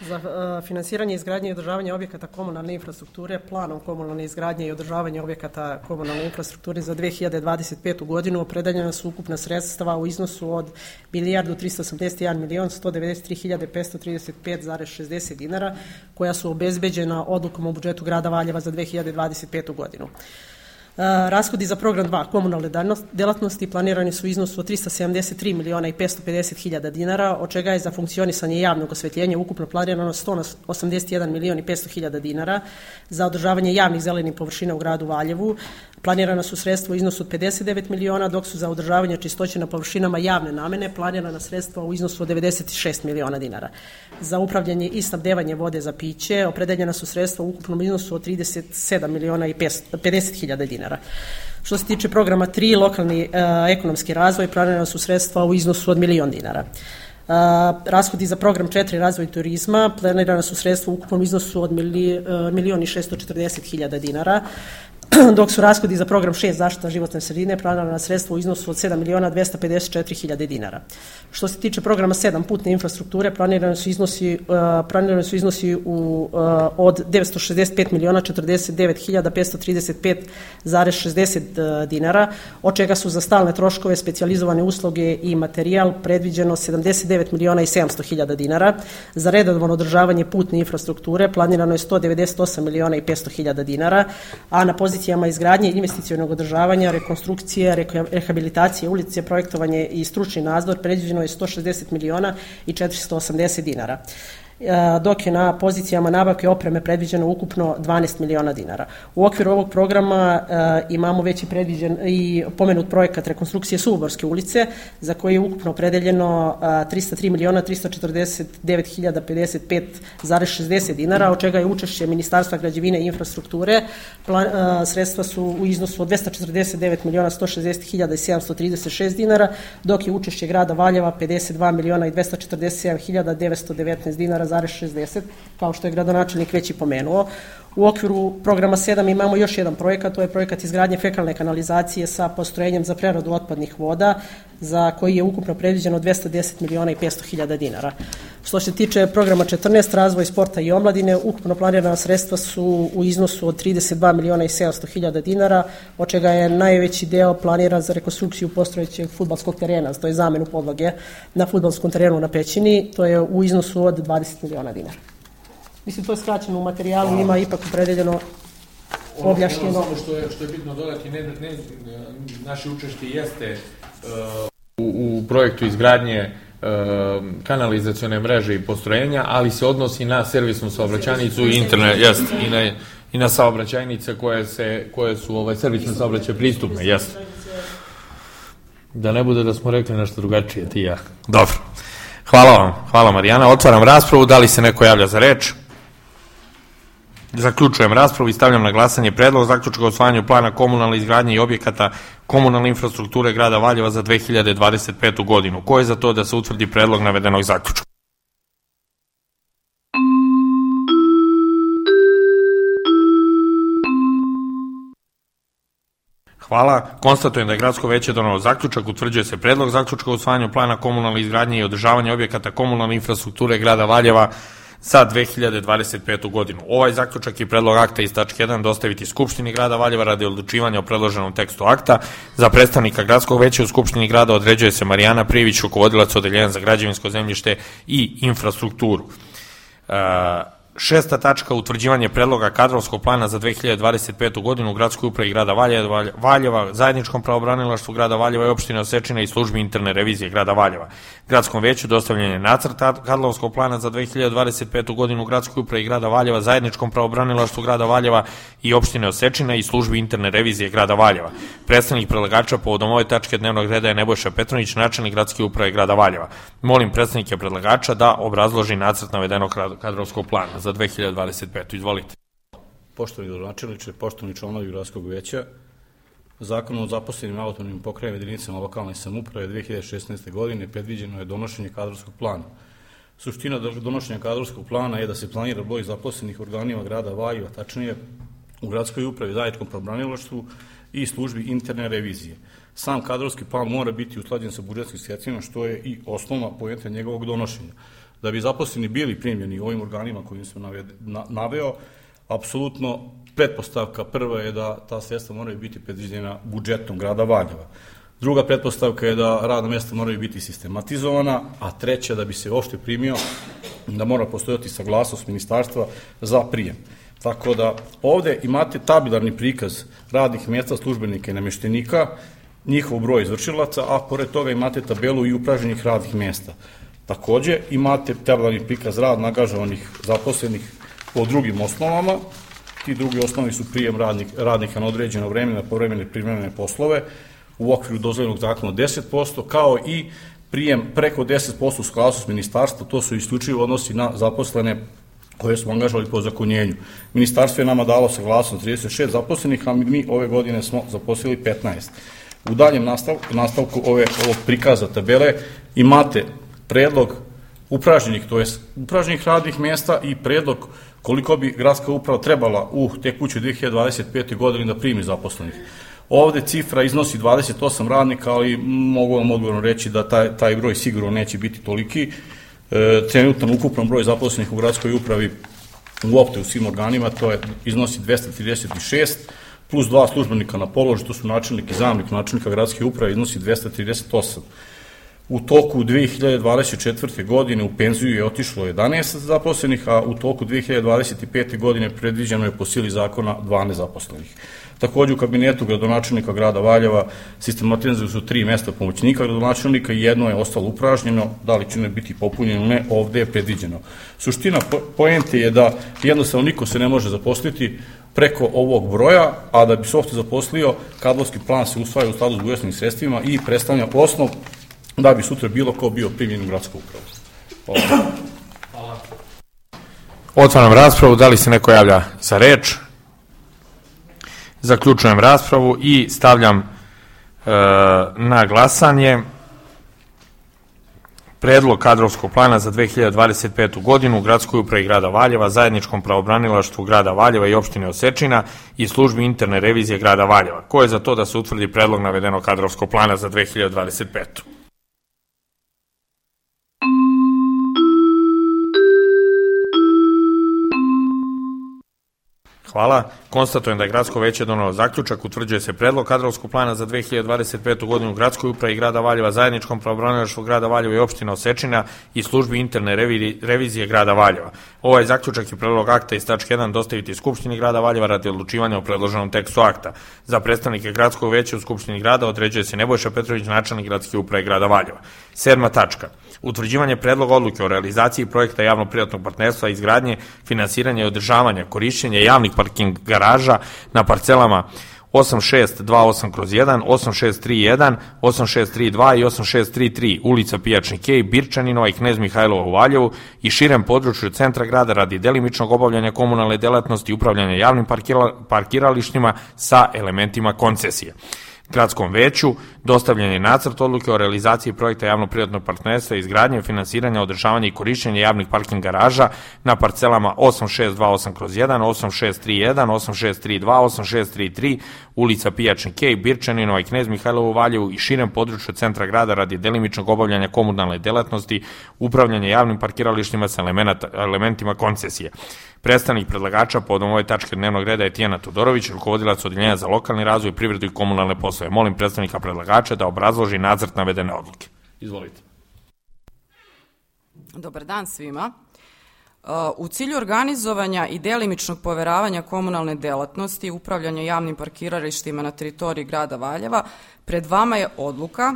Za uh, finansiranje izgradnje i održavanje objekata komunalne infrastrukture planom komunalne izgradnje i održavanje objekata komunalne infrastrukture za dve hiljade dvadeset petu godinu opredeljena su ukupna sredstva u iznosu od milijardu trista osamdeset jedan milion sto devedeset tri hiljade petsto trideset pet zarez šezdeset dinara koja su obezbeđena odlukom o budžetu grada Valjeva za dve hiljade dvadeset petu godinu. Uh, rashodi za program dva komunalne delatnosti planirani su u iznosu od trista sedamdeset tri miliona i petsto pedeset hiljada dinara, od čega je za funkcionisanje javnog osvetljenja ukupno planirano sto osamdeset jedan milion i petsto hiljada dinara, za održavanje javnih zelenih površina u gradu Valjevu planirana su sredstva u iznosu od pedeset devet miliona, dok su za održavanje čistoće na površinama javne namene planirana sredstva u iznosu od devedeset šest miliona dinara. Za upravljanje i snabdevanje vode za piće opredeljena su sredstva u ukupnom iznosu od trideset sedam miliona i pedeset hiljada dinara. Što se tiče programa tri, lokalni e, ekonomski razvoj, planirana su sredstva u iznosu od milion dinara. Uh, rashodi za program četiri razvoj turizma planirana su sredstva u ukupnom iznosu od mili, uh, milion i šesto četrdeset hiljada dinara, dok su rashodi za program šest zaštita životne sredine planirana sredstva u iznosu od sedam miliona dvesta pedeset četiri hiljade dinara. Što se tiče programa sedam putne infrastrukture planirani su iznosi, uh, planirani su iznosi u, uh, od devetsto šezdeset pet miliona četrdeset devet hiljada petsto trideset pet zarez šezdeset dinara, od čega su za stalne troškove, specijalizovane usluge i materijal predviđeno sedamdeset devet miliona i sedamsto hiljada dinara. Za redovno održavanje putne infrastrukture planirano je sto devedeset osam miliona i petsto hiljada dinara, a na pozicijama izgradnje investicionog održavanja, rekonstrukcije, rehabilitacije ulice, projektovanje i stručni nadzor predviđeno je sto šezdeset miliona i četiristo osamdeset dinara, dok je na pozicijama nabavke opreme predviđeno ukupno dvanaest miliona dinara. U okviru ovog programa e, imamo već i predviđen i pomenut projekat rekonstrukcije Suvoborske ulice, za koji je ukupno opredeljeno e, trista tri miliona trista četrdeset devet hiljada pedeset pet zarez šezdeset dinara, od čega je učešće Ministarstva građevine i infrastrukture. Plan, e, sredstva su u iznosu od dvesta četrdeset devet miliona sto šezdeset hiljada i sedamsto trideset šest dinara, dok je učešće grada Valjeva pedeset dva miliona i dvesta četrdeset sedam hiljada devetsto devetnaest dinara zarez šezdeset, kao što je gradonačelnik već i pomenuo. U okviru programa sedam imamo još jedan projekat, to je projekat izgradnje fekalne kanalizacije sa postrojenjem za preradu otpadnih voda, za koji je ukupno predviđeno dvesta deset miliona i petsto hiljada dinara. Što se tiče programa četrnaest, razvoj sporta i omladine, ukupno planirana sredstva su u iznosu od trideset dva miliona i sedamsto hiljada dinara, od čega je najveći deo planiran za rekonstrukciju postojećeg fudbalskog terena, to je zamenu podloge na fudbalskom terenu na Pećini, to je u iznosu od dvadeset miliona dinara. Mislim, to je skraćeno u materijalu, Hvala. Ima ipak opredeljeno objašnjeno. Ono samo što je, što je bitno dodati, ne, ne, naše učešće jeste uh, u, u projektu izgradnje uh, kanalizacione mreže i postrojenja, ali se odnosi na servisnu saobraćajnicu i internet, jest, i na, i na saobraćajnice koje, se, koje su ovaj, servisne saobraćaje pristupne, jest. Da ne bude da smo rekli nešto drugačije, ti ja. Dobro. Hvala vam, hvala Marijana. Otvaram raspravu, da li se neko javlja za reč? Zaključujem raspravu i stavljam na glasanje predlog zaključka o usvajanju plana komunalne izgradnje i objekata komunalne infrastrukture grada Valjeva za dve hiljade dvadeset petu godinu. Ko je za to da se utvrdi predlog navedenog zaključka? Hvala. Konstatujem da je Gradsko veće donelo zaključak. Utvrđuje se predlog zaključka o usvajanju plana komunalne izgradnje i održavanja objekata komunalne infrastrukture grada Valjeva za dve hiljade dvadeset petu godinu. Ovaj zaključak i predlog akta iz tačke jedan dostaviti Skupštini grada Valjeva radi odlučivanja o predloženom tekstu akta. Za predstavnika Gradskog veća u Skupštini grada određuje se Marijana Privić, rukovodilac odeljenja za građevinsko zemljište i infrastrukturu. Uh, Šesta tačka, utvrđivanje predloga kadrovskog plana za dve hiljade dvadeset petu godinu u gradskoj upravi grada Valjeva, Valjeva, zajedničkom pravobranilaštvu grada Valjeva i opštine Osečina i službi interne revizije grada Valjeva. Gradskom veću dostavljen je nacrt kadrovskog plana za dve hiljade dvadeset petu godinu u gradskoj upravi grada Valjeva, zajedničkom pravobranilaštvu grada Valjeva i opštine Osečina i službi interne revizije grada Valjeva. Predstavnik predlagača povodom ove tačke dnevnog reda je Nebojša Petronić, načelnik gradske uprave grada Valjeva. Molim predstavnike predlagača da obrazloži nacrt navedenog kadrovskog plana za dve hiljade dvadeset petu. Izvolite. Poštovani gradonačelniče, poštovani članovi gradskog veća, Zakonom o zaposlenim autonomnim pokrajinskim jedinicama lokalne samouprave dve hiljade šesnaeste. godine predviđeno je donošenje kadrovskog plana. Suština donošenja kadrovskog plana je da se planira broj zaposlenih organima grada Valjeva, tačnije u gradskoj upravi, zajedničkom pravobranilaštvu i službi interne revizije. Sam kadrovski plan mora biti usklađen sa budžetskim sredstvima, što je i osnovna poenta njegovog donošenja. Da bi zaposleni bili primljeni ovim organima kojim sam naveo, apsolutno pretpostavka prva je da ta sredstva moraju biti predviđena budžetom grada Valjeva. Druga pretpostavka je da radna mesta moraju biti sistematizovana, a treća da bi se uopšte primio, da mora postojati saglasnost ministarstva za prijem. Tako da ovde imate tabelarni prikaz radnih mesta službenika i nameštenika, njihov broj izvršilaca, a pored toga imate tabelu i upražnjenih radnih mesta. Takođe imate tabelarni prikaz rada angažovanih zaposlenih po drugim osnovama. Ti drugi osnovi su prijem radnik, radnika na određeno vreme na povremene privremene poslove u okviru dozvoljenog zakona deset posto, kao i prijem preko deset posto u saglasnost ministarstva, to su isključivo odnosi na zaposlene koje smo angažovali po zakonjenju. Ministarstvo je nama dalo saglasnost trideset šest zaposlenih, a mi ove godine smo zaposlili petnaest. U daljem nastavku, nastavku ove, ovog prikaza tabele imate predlog upražnjenih, to je upražnjenih radnih mesta i predlog koliko bi gradska uprava trebala u tekućoj dve hiljade dvadeset pete. godini da primi zaposlenih. Ovde cifra iznosi dvadeset osam radnika, ali mogu vam odgovorno reći da taj, taj broj sigurno neće biti toliki. E, trenutan ukupan broj zaposlenih u gradskoj upravi uopšte u svim organima, to je, iznosi dvesta trideset šest, plus dva službenika na položaju, to su načelnik i zamenik načelnika gradske uprave, iznosi dvesta trideset osam. U toku dve hiljade dvadeset četvrte. godine u penziju je otišlo jedanaest zaposlenih, a u toku dve hiljade dvadeset pete. godine predviđeno je po sili zakona dvanaest zaposlenih. Takođe u kabinetu gradonačelnika grada Valjeva sistematizuju su tri mesta pomoćnika gradonačelnika i jedno je ostalo upražnjeno, da li će ne biti popunjeno, ne, ovde je predviđeno. Suština poente je da jednostavno niko se ne može zaposliti preko ovog broja, a da bi se uopšte zaposlio, kadrovski plan se usvaja u skladu s budžetskim sredstvima i predstavlja osnov da bi sutra bilo ko bio primljen u gradsku upravu. Hvala. Hvala. Otvaram raspravu, da li se neko javlja za reč? Zaključujem raspravu i stavljam e, na glasanje predlog kadrovskog plana za dve hiljade dvadeset petu. godinu u gradskoj upravi grada Valjeva, zajedničkom pravobranilaštvu grada Valjeva i opštine Osečina i službi interne revizije grada Valjeva. Ko je za to da se utvrdi predlog navedenog kadrovskog plana za dve hiljade dvadeset petu. Hvala. Konstatujem da je gradsko veće donelo zaključak, utvrđuje se predlog kadrovskog plana za dve hiljade dvadeset petu. godinu u gradskoj upravi grada Valjeva, zajedničkom pravobranilaštvu grada Valjeva i opština Osečina i službi interne revizije grada Valjeva. Ovaj zaključak i predlog akta iz tačke jedan dostaviti Skupštini grada Valjeva radi odlučivanja o predloženom tekstu akta. Za predstavnike gradskog veća u Skupštini grada određuje se Nebojša Petrović, načelnik gradske uprave grada Valjeva. Sedma tačka. Utvrđivanje predloga odluke o realizaciji projekta javno-privatnog partnerstva, izgradnje, finansiranja i održavanja, korišćenja javnih parking garaža na parcelama osam šest dva osam kroz jedan, osam šest tri jedan, osam šest tri dva i osam šest tri tri, ulica Pijačni Kej, Birčaninova i Knez Mihajlova u Valjevu i širem području centra grada radi delimičnog obavljanja komunalne delatnosti i upravljanja javnim parkiralištima sa elementima koncesije. Gradskom veću dostavljen je nacrt odluke o realizaciji projekta javno-privatnog partnerstva, izgradnje, finansiranja, održavanja i korišćenja javnih parking garaža na parcelama osam šest dva osam kroz jedan, osam šest tri jedan, osam šest tri dva, osam šest tri tri, ulica Pijačni Kej, Birčaninova i Knez Mihajlova u Valjevu i širem području centra grada radi delimičnog obavljanja komunalne delatnosti, upravljanja javnim parkiralištima sa elementima koncesije. Predstavnik predlagača povodom ove tačke dnevnog reda je Tijana Todorović, rukovodilac odeljenja za lokalni razvoj, privredu i komunalne poslove. Molim predstavnika predlagača da obrazloži nacrt navedene odluke. Izvolite. Dobar dan svima. U cilju organizovanja i delimičnog poveravanja komunalne delatnosti i upravljanja javnim parkiralištima na teritoriji grada Valjeva, pred vama je odluka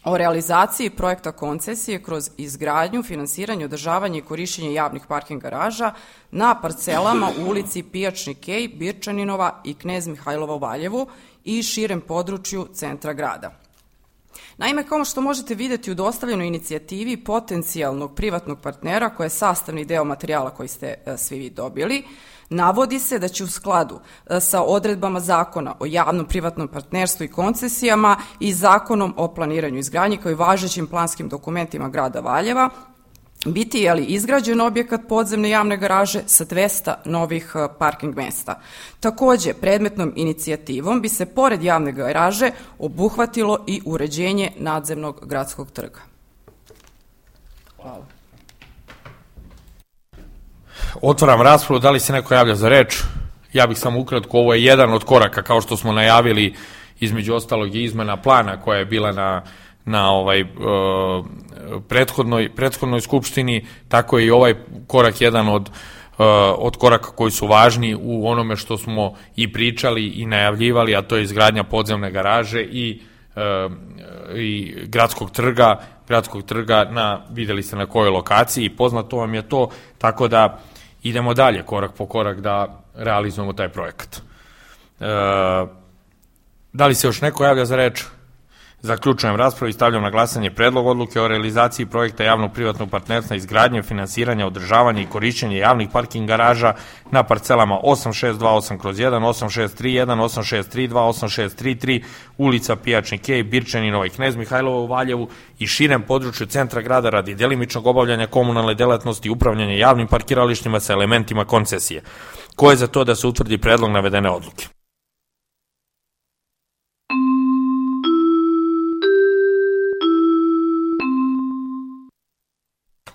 o realizaciji projekta koncesije kroz izgradnju, finansiranje, održavanje i korišćenje javnih parking garaža na parcelama u ulici Pijačni kej, Birčaninova i Knez Mihajlova u Valjevu i širem području centra grada. Naime, kao što možete vidjeti u dostavljenoj inicijativi potencijalnog privatnog partnera, koja je sastavni deo materijala koji ste svi vi dobili, navodi se da će u skladu sa odredbama Zakona o javnom privatnom partnerstvu i koncesijama i Zakonom o planiranju i izgradnji kao i važećim planskim dokumentima grada Valjeva biti je li izgrađen objekat podzemne javne garaže sa dvesta novih parking mesta. Takođe, predmetnom inicijativom bi se pored javne garaže obuhvatilo i uređenje nadzemnog gradskog trga. Hvala. Otvaram raspravu, da li se neko javlja za reč? Ja bih samo ukratko, ovo je jedan od koraka, kao što smo najavili, između ostalog i izmena plana koja je bila na na ovaj uh, prethodnoj, prethodnoj skupštini, tako je i ovaj korak jedan od, uh, od koraka koji su važni u onome što smo i pričali i najavljivali, a to je izgradnja podzemne garaže i, uh, i gradskog trga, gradskog trga na, videli ste na kojoj lokaciji, poznato vam je to, tako da idemo dalje korak po korak da realizujemo taj projekat. Uh, da li se još neko javlja za reč? Zaključujem raspravu i stavljam na glasanje predlog odluke o realizaciji projekta javnog privatnog partnerstva izgradnje, finansiranja, održavanja i korišćenja javnih parking garaža na parcelama osam šest dva osam kroz jedan, osam šest tri jedan, osam šest tri dva, osam šest tri tri, ulica Pijačni kej, Birčaninova i Knez Mihajlova u Valjevu i širem području centra grada radi delimičnog obavljanja komunalne delatnosti i upravljanja javnim parkiralištima sa elementima koncesije. Ko je za to da se utvrdi predlog navedene odluke?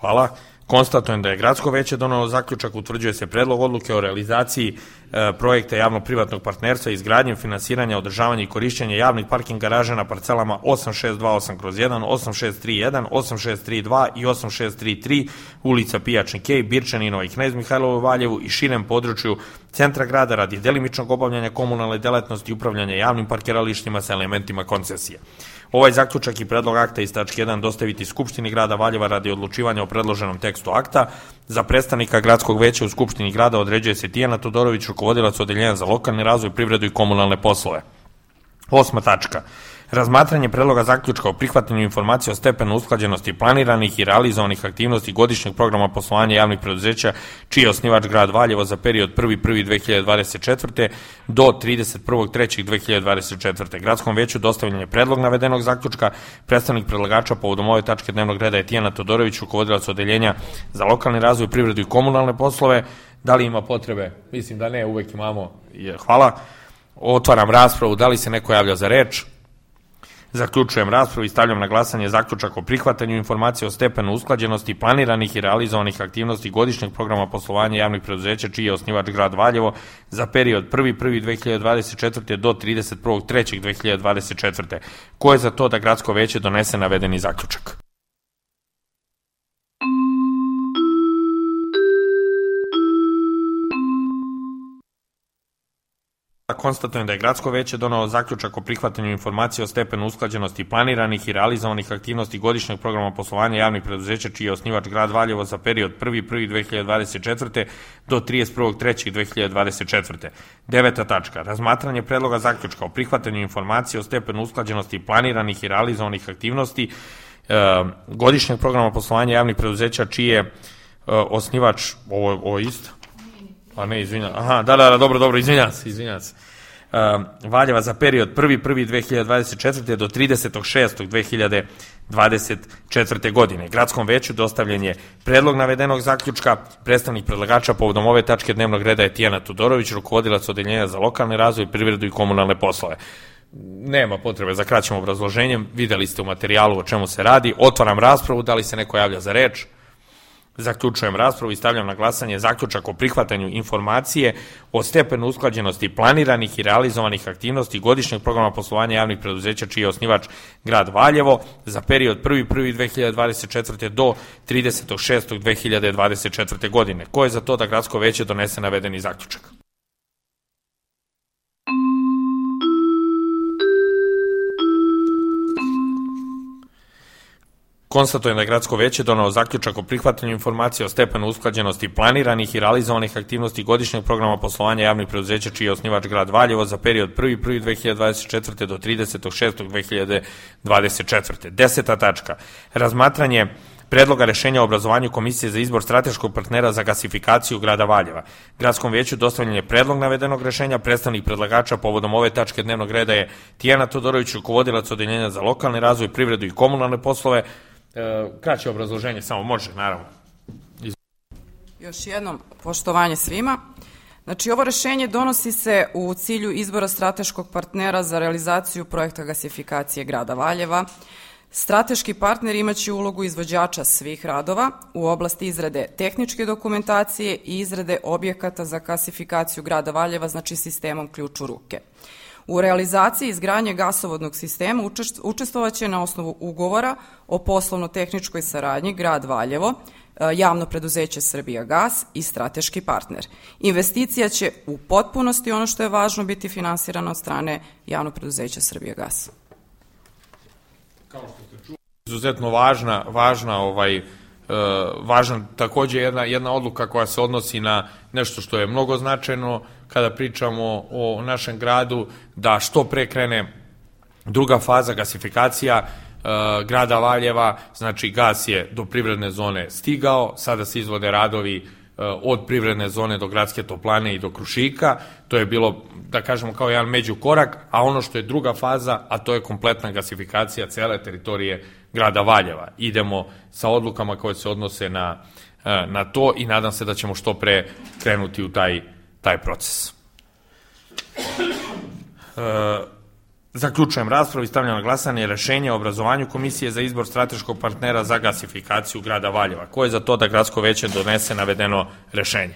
Hvala. Konstatujem da je Gradsko veće donelo zaključak, utvrđuje se predlog odluke o realizaciji e, projekta javno-privatnog partnerstva, izgradnje, finansiranja, održavanja i korišćenja javnih parking garaža na parcelama osam šest dva osam kroz jedan, osam šest tri jedan, osam šest tri dva i osam šest tri tri, ulica Pijačni kej, Birčaninova i Knez Mihajlova u Valjevu i širem području centra grada radi delimičnog obavljanja komunalne delatnosti i upravljanja javnim parkiralištima sa elementima koncesije. Ovaj zaključak i predlog akta iz tačke jedan dostaviti Skupštini grada Valjeva radi odlučivanja o predloženom tekstu akta. Za predstavnika Gradskog veća u Skupštini grada određuje se Tijana Todorović, rukovodilac odeljenja za lokalni razvoj, privredu i komunalne poslove. Osma tačka. Razmatranje predloga zaključka o prihvatanju informacija o stepenu usklađenosti planiranih i realizovanih aktivnosti godišnjeg programa poslovanja javnih preduzeća čiji je osnivač grad Valjevo za period prvi prvog prvog dve hiljade dvadeset četvrte. do trideset prvog trećeg dve hiljade dvadeset četvrte. Gradskom veću dostavljen je predlog navedenog zaključka. Predstavnik predlagača povodom ove tačke dnevnog reda je Tijana Todorović, rukovodilac odeljenja za lokalni razvoj, privredu i komunalne poslove. Da li ima potrebe? Mislim da ne, uvek imamo. Hvala. Otvaram raspravu. Da li se neko javlja za reč? Zaključujem raspravu i stavljam na glasanje zaključak o prihvatanju informacije o stepenu usklađenosti planiranih i realizovanih aktivnosti godišnjeg programa poslovanja javnih preduzeća čiji je osnivač grad Valjevo za period prvi prvog prvog dve hiljade dvadeset četvrte. do trideset prvog trećeg dve hiljade dvadeset četvrte. Ko je za to da Gradsko veće donese navedeni zaključak? Konstatujem da je Gradsko veće donelo zaključak o prihvatanju informacije o stepenu usklađenosti planiranih i realizovanih aktivnosti godišnjeg programa poslovanja javnih preduzeća čiji je osnivač grad Valjevo za period prvi prvog prvog dve hiljade dvadeset četvrte. do trideset prvog trećeg dve hiljade dvadeset četvrte. Deveta tačka. Razmatranje predloga zaključka o prihvatanju informacije o stepenu usklađenosti planiranih i realizovanih aktivnosti e, godišnjeg programa poslovanja javnih preduzeća čiji je e, osnivač, ovo, ovo isto? Pa ne, izvinjam. Aha, da, da, da, dobro, dobro, izvinjam se, izvinjam se. Uh, Valjeva za period prvi prvog prvog dve hiljade dvadeset četvrte. do tridesetog šestog dve hiljade dvadeset četvrte. godine. Gradskom veću dostavljen je predlog navedenog zaključka. Predstavnik predlagača povodom ove tačke dnevnog reda je Tijana Todorović, rukovodilac odeljenja za lokalni razvoj, privredu i komunalne poslove. Nema potrebe za kraćim obrazloženjem, videli ste u materijalu o čemu se radi. Otvaram raspravu, da li se neko javlja za reč? Zaključujem raspravu i stavljam na glasanje zaključak o prihvatanju informacije o stepenu usklađenosti planiranih i realizovanih aktivnosti godišnjeg programa poslovanja javnih preduzeća čiji je osnivač grad Valjevo za period prvi prvog prvog dve hiljade dvadeset četvrte. do tridesetog šestog dve hiljade dvadeset četvrte. godine. Ko je za to da gradsko veće donese navedeni zaključak? Konstatujem da je gradsko veće donelo zaključak o prihvatanju informacije o stepenu usklađenosti planiranih i realizovanih aktivnosti godišnjeg programa poslovanja javnih preduzeća čiji je osnivač grad Valjevo za period prvi prvog prvog dve hiljade dvadeset četvrte. do tridesetog šestog dve hiljade dvadeset četvrte. Deseta tačka. Razmatranje Predloga rešenja o obrazovanju Komisije za izbor strateškog partnera za gasifikaciju grada Valjeva. Gradskom veću dostavljen je predlog navedenog rešenja. Predstavnik predlagača povodom ove tačke dnevnog reda je Tijana Todorović, rukovodilac Odeljenja za lokalni razvoj, privredu i komunalne poslove. E, kraće obrazloženje, samo može, naravno. Iz... Još jednom poštovanje svima. Znači, ovo rešenje donosi se u cilju izbora strateškog partnera za realizaciju projekta gasifikacije grada Valjeva. Strateški partner imaće ulogu izvođača svih radova u oblasti izrade tehničke dokumentacije i izrade objekata za gasifikaciju grada Valjeva, znači sistemom ključ u ruke. U realizaciji izgradnje gasovodnog sistema učestvovaće na osnovu ugovora o poslovno-tehničkoj saradnji grad Valjevo, javno preduzeće Srbijagas i strateški partner. Investicija će u potpunosti, ono što je važno, biti finansirana od strane javno preduzeća Srbijagas. Kao što ste čuli, izuzetno važna, važna ovaj, uh, važna takođe jedna, jedna odluka koja se odnosi na nešto što je mnogo značajno kada pričamo o našem gradu, da što pre krene druga faza gasifikacija uh, grada Valjeva. Znači, gas je do privredne zone stigao, sada se izvode radovi uh, od privredne zone do gradske toplane i do Krušika. To je bilo, da kažemo, kao jedan međukorak, a ono što je druga faza, a to je kompletna gasifikacija cele teritorije grada Valjeva. Idemo sa odlukama koje se odnose na, na to i nadam se da ćemo što pre krenuti u taj, taj proces. E, zaključujem raspravu i stavljam na glasanje rešenje o obrazovanju Komisije za izbor strateškog partnera za gasifikaciju grada Valjeva. Ko je za to da gradsko veće donese navedeno rešenje?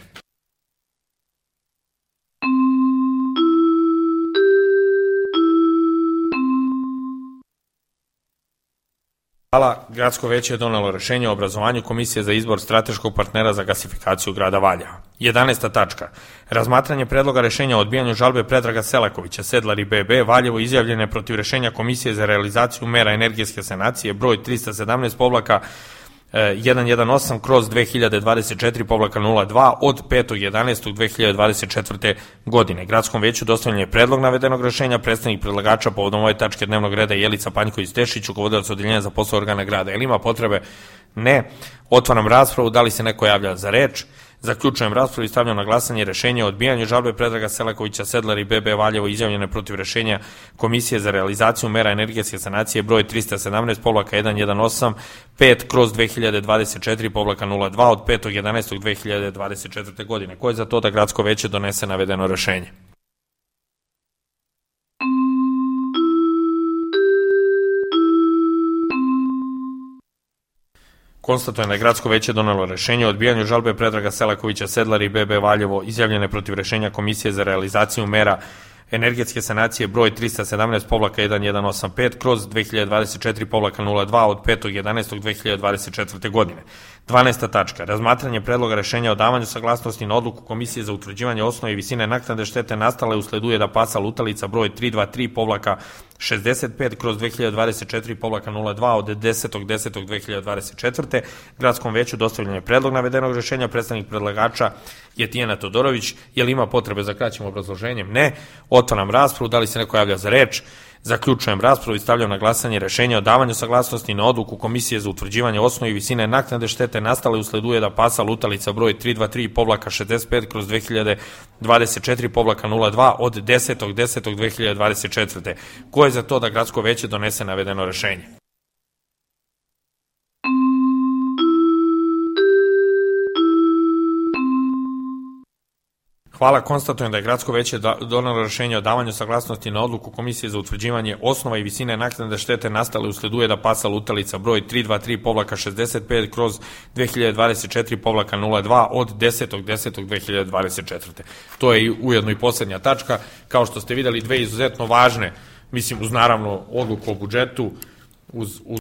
Hvala. Gradsko veće je donelo rešenje o obrazovanju Komisije za izbor strateškog partnera za gasifikaciju grada Valjeva. jedanaesta tačka. Razmatranje predloga rešenja o odbijanju žalbe Predraga Selakovića, Sedlari B B, Valjevo, izjavljene protiv rešenja Komisije za realizaciju mera energetske sanacije broj trista sedamnaest povlaka jedan jedan osam kroz dve hiljade dvadeset četiri povlaka nula dva od petog jedanaestog dve hiljade dvadeset četvrte. godine. Gradskom veću dostavljen je predlog navedenog rešenja. Predstavnik predlagača povodom ove tačke dnevnog reda je Jelica Panjković-Tešić, rukovodilac Odeljenja za poslove organa grada. Jel ima potrebe? Ne. Otvaram raspravu. Da li se neko javlja za reč? Zaključujem raspravu i stavljam na glasanje rešenje o odbijanju žalbe Predraga Selakovića, Sedlari B B, Valjevo, izjavljene protiv rešenja Komisije za realizaciju mera energetske sanacije broj trista sedamnaest povlaka jedan jedan osam pet kroz dve hiljade dvadeset četiri povlaka nula dva od petog jedanaestog dve hiljade dvadeset četvrte. godine. Ko je za to da gradsko veće donese navedeno rešenje? Konstatujem da je gradsko veće donelo rešenje o odbijanju žalbe Predraga Selakovića, Sedlari B B, Valjevo, izjavljene protiv rešenja Komisije za realizaciju mera energetske sanacije broj trista sedamnaest povlaka jedan jedan osam pet kroz dve hiljade dvadeset četiri povlaka nula dva od petog jedanaestog dve hiljade dvadeset četvrte. godine. dvanaesta tačka. Razmatranje predloga rešenja o davanju saglasnosti na odluku Komisije za utvrđivanje osnove i visine naknade štete nastale usled ujeda pasa lutalica broj tri dva tri povlaka šezdeset pet kroz dve hiljade dvadeset četiri povlaka nula dva od desetog desetog dve hiljade dvadeset četvrte. Gradskom veću dostavljen je predlog navedenog rešenja. Predstavnik predlagača je Tijana Todorović. Je li ima potrebe za kraćim obrazloženjem? Ne. Otvaram raspravu. Da li se neko javlja za reč? Zaključujem raspravu i stavljam na glasanje rešenje o davanju saglasnosti na odluku Komisije za utvrđivanje osnove i visine naknade štete nastale usled ujeda pasa lutalica broj tri dva tri povlaka šezdeset pet kroz dve hiljade dvadeset četiri povlaka nula dva od desetog desetog dve hiljade dvadeset četvrte. Ko je za to da gradsko veće donese navedeno rešenje? Hvala, konstatujem da je Gradsko veće donelo rešenje o davanju saglasnosti na odluku Komisije za utvrđivanje osnova i visine naknade štete nastale usled ujeda pasa lutalica broj tri dva tri šezdeset pet kroz dve hiljade dvadeset četiri nula dva od desetog desetog dve hiljade dvadeset četvrte. To je ujedno i poslednja tačka. Kao što ste videli, dve izuzetno važne, mislim uz naravno odluku o budžetu, uz, uz